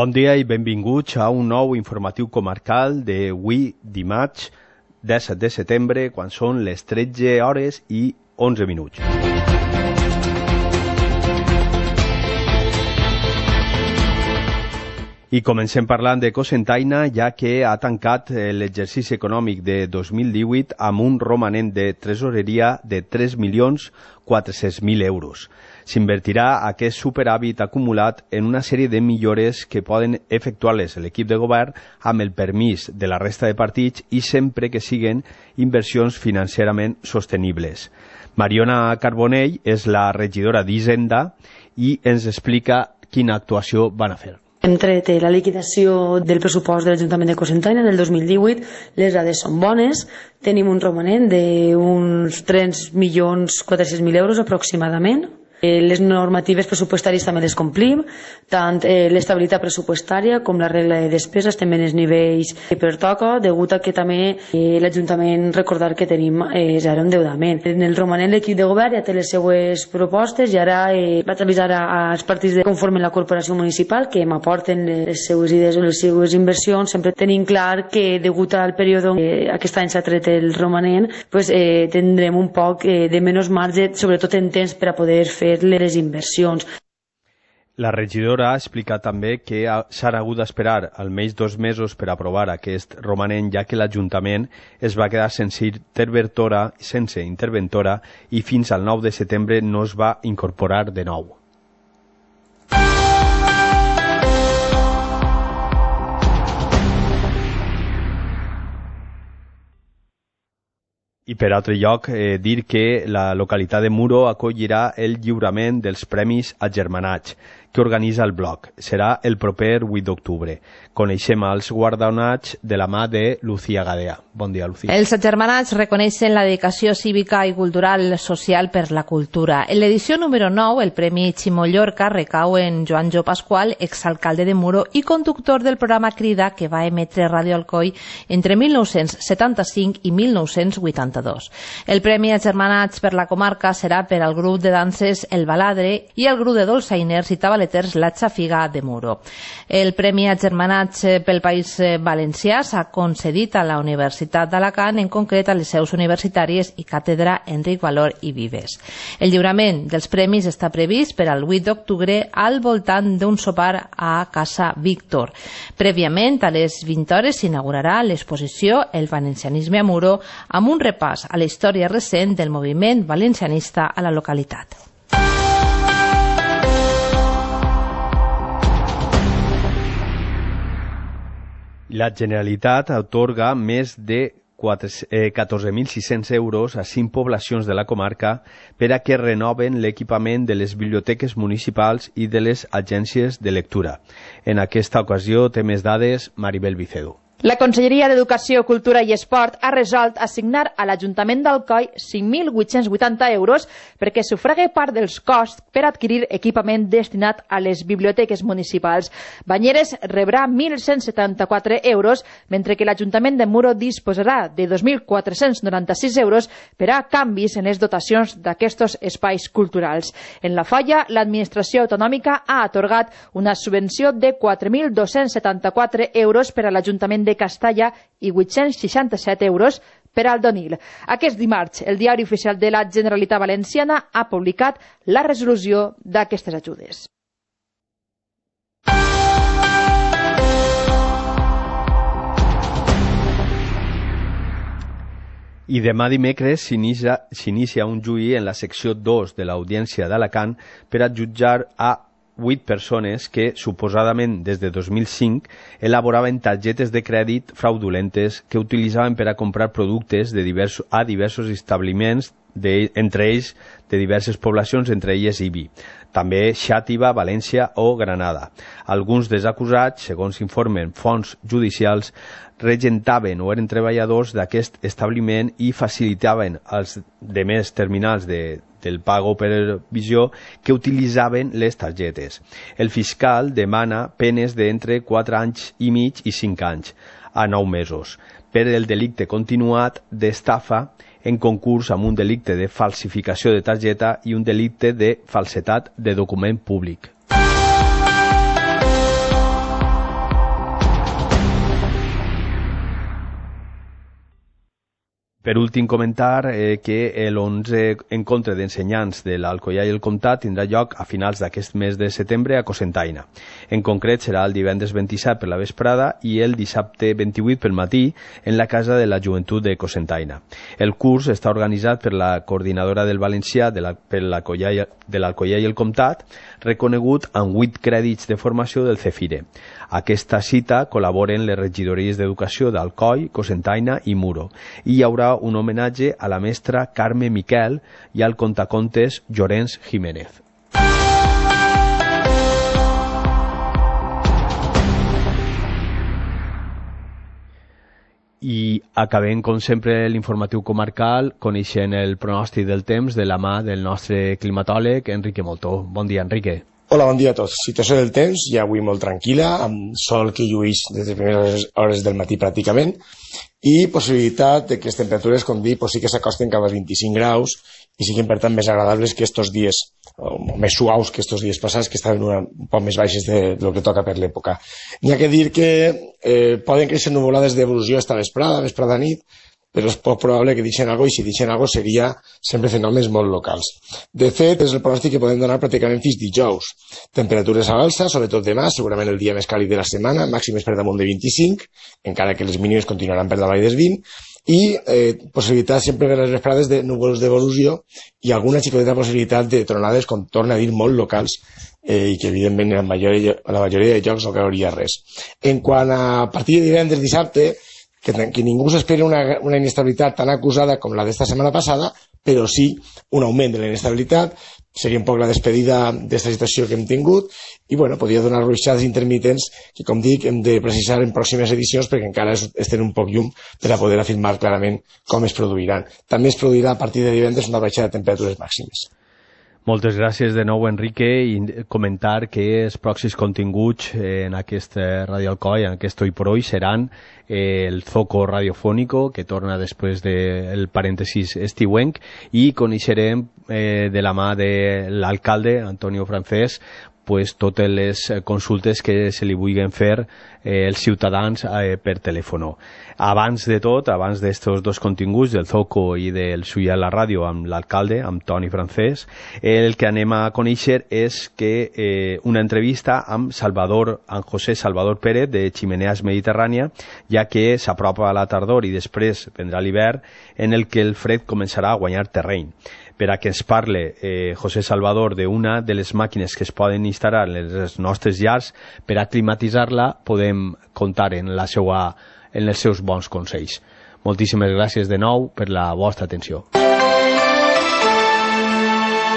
Bon dia i benvinguts a un nou informatiu comarcal d'avui dimarts 17 de setembre, quan són les 13 hores i 11 minuts. I comencem parlant de Cocentaina, ja que ha tancat l'exercici econòmic de 2018 amb un romanent de tresoreria de 3.400.000 euros. S'invertirà aquest superàvit acumulat en una sèrie de millores que poden efectuar-les l'equip de govern amb el permís de la resta de partits i sempre que siguen inversions financerament sostenibles. Mariona Carbonell és la regidora d'Hisenda i ens explica quina actuació van a fer. Hem tret la liquidació del pressupost de l'Ajuntament de Cocentaina del 2018, les dades són bones, tenim un romanent d'uns 3.400.000 euros aproximadament. Les normatives pressupostàries també les complim, tant l'estabilitat pressupostària com la regla de despesa estem en els nivells que pertoca, degut a que també l'Ajuntament recordar que tenim zero endeudament. En el romanent l'equip de govern ja té les seues propostes i ara vaig avisar als partits que conformen la corporació municipal que m'aporten les seues idees o les seues inversions. Sempre tenim clar que degut al període aquest any s'ha tret el romanent, tindrem un poc de menys marge, sobretot en temps per a poder fer les inversions. La regidora ha explicat també que s'ha hagut d'esperar almenys 2 mesos per aprovar aquest romanent, ja que l'Ajuntament es va quedar sense interventora i fins al 9 de setembre no es va incorporar de nou. I per altre lloc, dir que la localitat de Muro acollirà el lliurament dels Premis Agermanats que organitza el bloc. Serà el proper 8 d'octubre. Coneixem els guardonats de la mà de Lucía Gadea. Bon dia, Lucía. Els agermanats reconeixen la dedicació cívica i cultural social per la cultura. En l'edició número 9, el Premi Ximo Llorca recau en Joan Jo Pasqual, exalcalde de Muro i conductor del programa Crida que va emetre Ràdio Alcoi entre 1975 i 1982. El Premi Agermanats per la comarca serà per al grup de danses El Baladre i el grup de dolçainers i tabaleters La Xafiga de Muro. El Premi Agermanats pel País Valencià s'ha concedit a la Universitat d'Alacant, en concret a les seus universitàries i càtedra Enric Valor i Vives. El lliurament dels premis està previst per al 8 d'octubre al voltant d'un sopar a Casa Víctor. Prèviament, a les 20 hores s'inaugurarà l'exposició El valencianisme a Muro, amb un repàs a la història recent del moviment valencianista a la localitat. La Generalitat atorga més de 14.600 euros a 5 poblacions de la comarca per a que renoven l'equipament de les biblioteques municipals i de les agències de lectura. En aquesta ocasió té més dades Maribel Vicedo. La Conselleria d'Educació, Cultura i Esport ha resolt assignar a l'Ajuntament d'Alcoi 5.880 euros perquè sufrague part dels costs per adquirir equipament destinat a les biblioteques municipals. Banyeres rebrà 1.174 euros, mentre que l'Ajuntament de Muro disposarà de 2.496 euros per a canvis en les dotacions d'aquests espais culturals. En la Falla, l'administració autonòmica ha atorgat una subvenció de 4.274 euros per a l'Ajuntament de Castalla i 867 euros per al Donil. Aquest dimarts, el Diari Oficial de la Generalitat Valenciana ha publicat la resolució d'aquestes ajudes. I demà dimecres s'inicia un juí en la secció 2 de l'Audiència d'Alacant per a jutjar a 8 persones que, suposadament des de 2005, elaboraven targetes de crèdit fraudulentes que utilitzaven per a comprar productes a diversos establiments, entre ells de diverses poblacions, entre elles Ibi, també Xàtiva, València o Granada. Alguns dels acusats, segons informen fonts judicials, regentaven o eren treballadors d'aquest establiment i facilitaven als demés terminals del pago per visió que utilitzaven les targetes. El fiscal demana penes d'entre 4 anys i mig i 5 anys a 9 mesos per el delicte continuat d'estafa en concurs amb un delicte de falsificació de targeta i un delicte de falsetat de document públic. Per últim, comentar que l'11 encontre d'ensenyants de l'Alcoià i el Comtat tindrà lloc a finals d'aquest mes de setembre a Cocentaina. En concret, serà el divendres 27 per la vesprada i el dissabte 28 pel matí en la Casa de la Joventut de Cocentaina. El curs està organitzat per la coordinadora del valencià de l'Alcoià i el Comtat, reconegut amb 8 crèdits de formació del CEFIRE. A aquesta cita col·laboren les regidories d'Educació d'Alcoi, Cocentaina i Muro, i hi haurà un homenatge a la mestra Carme Miquel i al contacontes Llorenç Jiménez. I acabem, com sempre, l'informatiu comarcal, coneixent el pronòstic del temps de la mà del nostre climatòleg, Enrique Moltó. Bon dia, Enrique. Hola, bon dia a tots. Situació del temps, ja avui molt tranquil·la, amb sol que llueix des de primeres hores del matí pràcticament, i possibilitat de que les temperatures, com dic, sí que s'acosten cap als 25 graus i siguin, per tant, més agradables que estos dies, o més suaus que estos dies passats, que estaven un poc més baixes de lo que toca per l'època. N'hi ha que dir que poden créixer nuvolades d'evolució esta vesprada nit, però és poc probable que deixen alguna cosa, i si deixen alguna cosa seria sempre fenòmens molt locals. De fet, és el pronòstic que podem donar pràcticament fins dijous. Temperatures a l'alça, sobretot demà, segurament el dia més càlid de la setmana, màximes per damunt de 25, encara que les mínimes continuaran per davall dels 20, i possibilitat sempre per les vesprades de núvols d'evolució i alguna xicoteta possibilitat de tronades, com torna a dir, molt locals, i que evidentment a la majoria de llocs no cauria res. En quant a partir de divendres, dissabte, que ningú s'espera una inestabilitat tan acusada com la d'esta setmana passada, però sí un augment de la inestabilitat, seria un poc la despedida d'esta situació que hem tingut, i bueno, podria donar ruixades intermitents que, com dic, hem de precisar en pròximes edicions perquè encara estem un poc llum per a poder afirmar clarament com es produiran. També es produirà a partir de divendres una baixada de temperatures màximes. Moltes gràcies de nou, Enrique, i comentar que els pròxims continguts en aquest Ràdio Alcoi, en aquest Hoy por Hoy, seran el Zoco radiofónico, que torna després del parèntesis estiuenc, i coneixerem de la mà de l'alcalde, Antonio Francés, totes les consultes que se li vulguin fer els ciutadans per telèfon. Abans de tot, abans d'estos dos continguts, del Zoco i del Suya a la Ràdio amb l'alcalde, amb Toni Francés, el que anem a conèixer és que una entrevista amb José Salvador Pérez de Chimeneas Mediterrània, ja que s'apropa a la tardor i després vendrà l'hivern, en el que el fred començarà a guanyar terreny. Per a que ens parle José Salvador d'una de les màquines que es poden instal·lar en les nostres llars per a climatitzar-la, podem comptar en els seus bons consells. Moltíssimes gràcies de nou per la vostra atenció.